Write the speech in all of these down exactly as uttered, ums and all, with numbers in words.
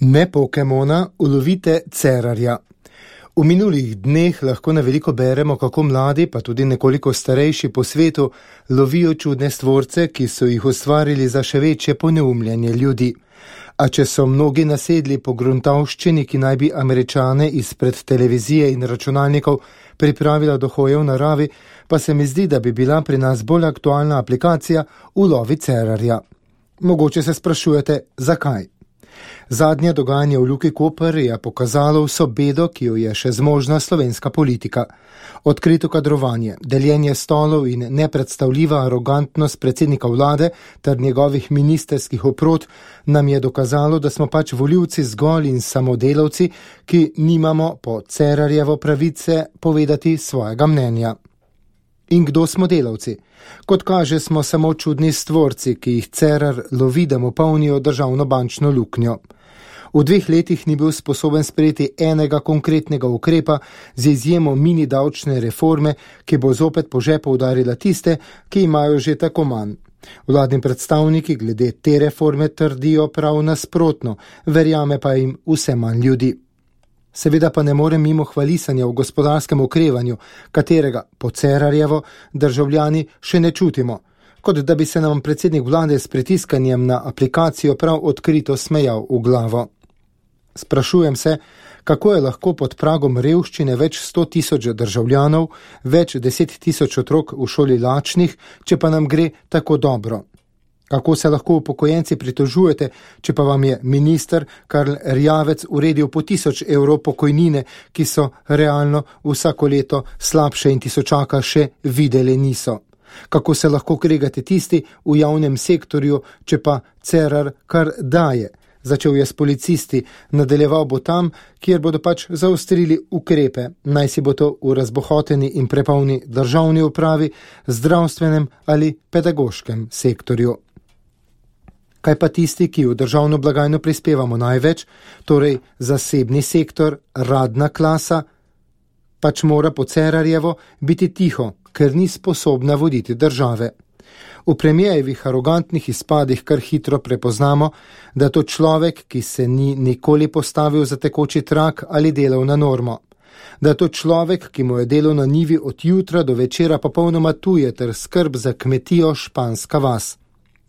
Ne Pokemona, ulovite Cerarja. V minulih dneh lahko na veliko beremo, kako mladi, pa tudi nekoliko starejši po svetu, lovijo čudne stvorce, ki so jih ustvarili za še večje poneumljanje ljudi. A če so mnogi nasedli po gruntavščini, ki naj bi Američane izpred televizije in računalnikov pripravila do hoje v naravi, pa se mi zdi, da bi bila pri nas bolj aktualna aplikacija Ulovi Cerarja. Mogoče se sprašujete, zakaj? Zadnje dogajanje v Luki Koper je pokazalo vso bedo, ki jo je še zmožna slovenska politika. Odkrito kadrovanje, deljenje stolov in nepredstavljiva arogantnost predsednika vlade ter njegovih ministerskih oprod nam je dokazalo, da smo pač volivci zgolj in samodelavci, ki nimamo po Cerarjevo pravice povedati svojega mnenja. In kdo smo delavci? Kot kaže, smo samo čudni stvorci, ki jih Cerar lovi, da mu polnijo državno bančno luknjo. V dveh letih ni bil sposoben sprejeti enega konkretnega ukrepa z izjemo mini davčne reforme, ki bo zopet po žepu udarila tiste, ki imajo že tako manj. Vladni predstavniki glede te reforme trdijo prav nasprotno, verjame pa jim vse manj ljudi. Seveda pa ne more mimo hvalisanja v gospodarskem okrevanju, katerega po Cerarjevo državljani še ne čutimo, kot da bi se nam predsednik vlade s pritiskanjem na aplikacijo prav odkrito smejal v glavo. Sprašujem se, kako je lahko pod pragom revščine več sto tisoč državljanov, več deset tisoč otrok v šoli lačnih, če pa nam gre tako dobro. Kako se lahko upokojenci pritožujete, če pa vam je minister Karl Erjavec uredil po tisoč evrov pokojnine, ki so realno vsako leto slabše in tisočaka še videli niso? Kako se lahko kregate tisti v javnem sektorju, če pa Cerar kar daje? Začel je s policisti, nadaljeval bo tam, kjer bodo pač zaostrili ukrepe, naj si bo to v razbohoteni in prepolni državni upravi, zdravstvenem ali pedagoškem sektorju. Kaj pa tisti, ki v državno blagajno prispevamo največ, torej zasebni sektor, radna klasa, pač mora po Cerarjevo biti tiho, ker ni sposobna voditi države. V premijevih arogantnih izpadih kar hitro prepoznamo, da to človek, ki se ni nikoli postavil za tekoči trak ali delovna norma. Da to človek, ki mu je delo na njivi od jutra do večera popolnoma tuje ter skrb za kmetijo španska vas.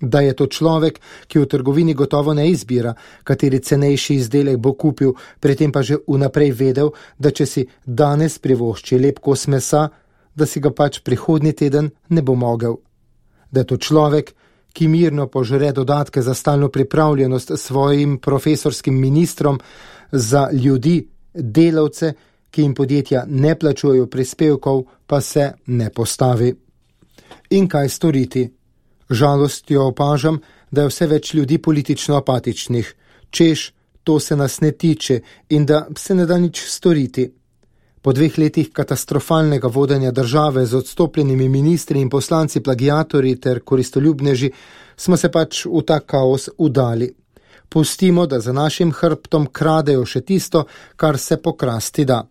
Da je to človek, ki v trgovini gotovo ne izbira, kateri cenejši izdelek bo kupil, pri tem pa že vnaprej vedel, da če si danes privošči lep kos mesa, da si ga pač prihodnji teden ne bo mogel. Da je to človek, ki mirno požre dodatke za stalno pripravljenost svojim profesorskim ministrom, za ljudi, delavce, ki jim podjetja ne plačujejo prispevkov, pa se ne postavi. In kaj storiti? Žalostjo opažam, da je vse več ljudi politično apatičnih, češ, to se nas ne tiče in da se ne da nič storiti. Po dveh letih katastrofalnega vodenja države z odstopljenimi ministri in poslanci plagiatorji ter koristoljubneži smo se pač v ta kaos udali. Pustimo, da za našim hrbtom kradejo še tisto, kar se pokrasti da.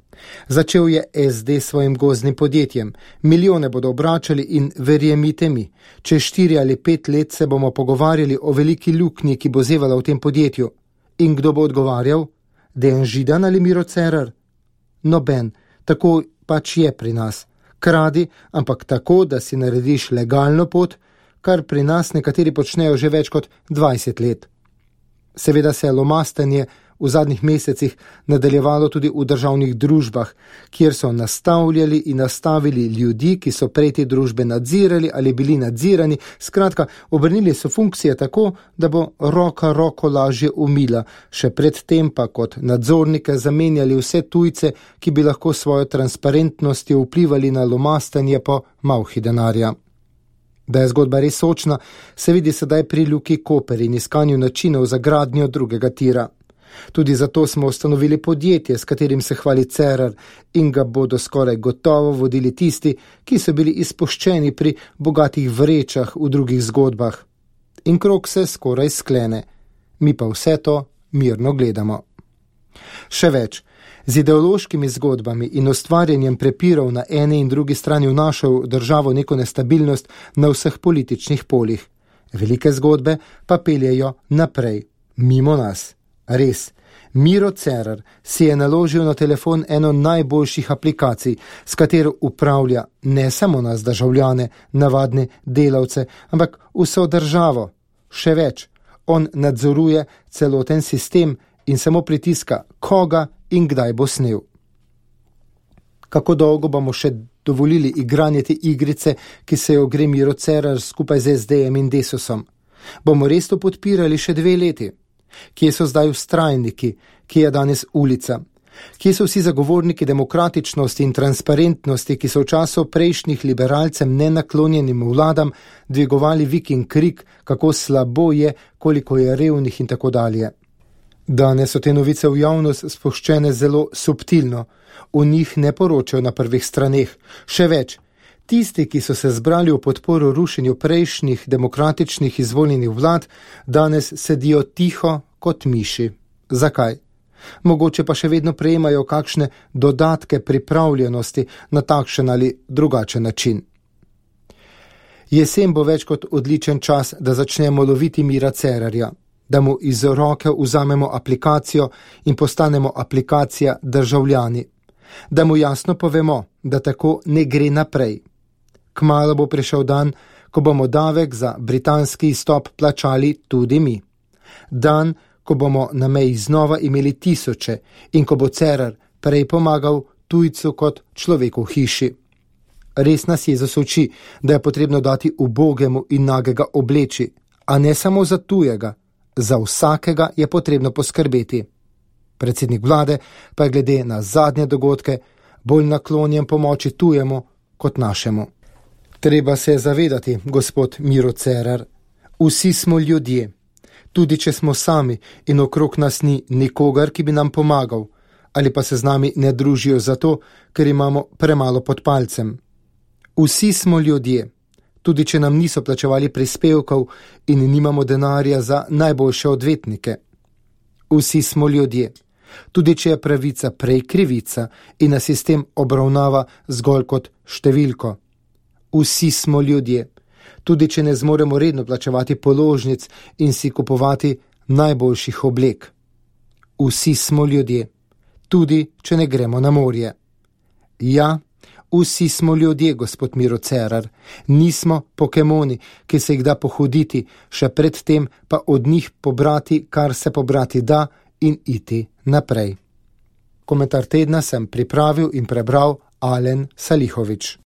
Začel je es de svojim gozdnim podjetjem. Milijone bodo obračali in verjemite mi, čez štiri ali pet let se bomo pogovarjali o veliki luknji, ki bo zevala v tem podjetju. In kdo bo odgovarjal? Dejan Židan ali Miro Cerar? Noben, tako pač je pri nas. Kradi, ampak tako, da si narediš legalno pot, kar pri nas nekateri počnejo že več kot dvajset let. Seveda se je lomastanje v zadnjih mesecih nadaljevalo tudi v državnih družbah, kjer so nastavljali in nastavili ljudi, ki so prej te družbe nadzirali ali bili nadzirani, skratka, obrnili so funkcije tako, da bo roka roko lažje umila, še predtem pa kot nadzornike zamenjali vse tujce, ki bi lahko svojo transparentnostjo vplivali na lomastanje po malhi denarja. Da je zgodba res sočna, se vidi sedaj pri Luki Koper in iskanju načinov za gradnjo drugega tira. Tudi zato smo ustanovili podjetje, s katerim se hvali Cerar in ga bodo skoraj gotovo vodili tisti, ki so bili izpuščeni pri bogatih vrečah v drugih zgodbah. In krog se skoraj sklene. Mi pa vse to mirno gledamo. Še več. Z ideološkimi zgodbami in ustvarjanjem prepirov na eni in drugi strani vnašal državo neko nestabilnost na vseh političnih poljih. Velike zgodbe pa peljejo naprej, mimo nas. Res, Miro Cerar si je naložil na telefon eno najboljših aplikacij, s katero upravlja ne samo nas državljane, navadne delavce, ampak vso državo. Še več, on nadzoruje celoten sistem in samo pritiska, koga in kdaj bo snel. Kako dolgo bomo še dovolili igranje te igrice, ki se jo gre Miro Cerar skupaj z es de em in Desusom? Bomo res to podpirali še dve leti? Kje so zdaj vztrajniki, kje je danes ulica? Kje so vsi zagovorniki demokratičnosti in transparentnosti, ki so v času prejšnjih liberalcem nenaklonjenim vladam dvigovali vik in krik, kako slabo je, koliko je revnih in tako dalje? Danes so te novice v javnost spuščene zelo subtilno, v njih ne poročajo na prvih straneh. Še več, tisti, ki so se zbrali v podporo rušenju prejšnjih demokratičnih izvoljenih vlad, danes sedijo tiho kot miši. Zakaj? Mogoče pa še vedno prejemajo kakšne dodatke pripravljenosti na takšen ali drugačen način. Jesen bo več kot odličen čas, da začnemo loviti Mira Cerarja, da mu iz roke vzamemo aplikacijo in postanemo aplikacija državljani, da mu jasno povemo, da tako ne gre naprej. Kmalu bo prišel dan, ko bomo davek za britanski izstop plačali tudi mi. Dan, ko bomo na meji znova imeli tisoče in ko bo Cerar prej pomagal tujcu kot človeku v hiši. Res nas Jezus uči, da je potrebno dati ubogemu in nagega obleči, a ne samo za tujega, za vsakega je potrebno poskrbeti. Predsednik vlade pa je glede na zadnje dogodke bolj naklonjen pomoči tujemu kot našemu. Treba se je zavedati, gospod Miro Cerar, vsi smo ljudje. Tudi če smo sami in okrog nas ni nikogar, ki bi nam pomagal, ali pa se z nami ne družijo zato, ker imamo premalo pod palcem. Vsi smo ljudje, tudi če nam niso plačevali prispevkov in nimamo denarja za najboljše odvetnike. Vsi smo ljudje, tudi če je pravica prej krivica in nas sistem obravnava zgolj kot številko. Vsi smo ljudje, tudi če ne zmoremo redno plačevati položnic in si kupovati najboljših oblek. Vsi smo ljudje, tudi če ne gremo na morje. Ja, vsi smo ljudje, gospod Miro Cerar, nismo pokemoni, ki se jih da pohoditi, še predtem pa od njih pobrati, kar se pobrati da in iti naprej. Komentar tedna sem pripravil in prebral Alen Salihovič.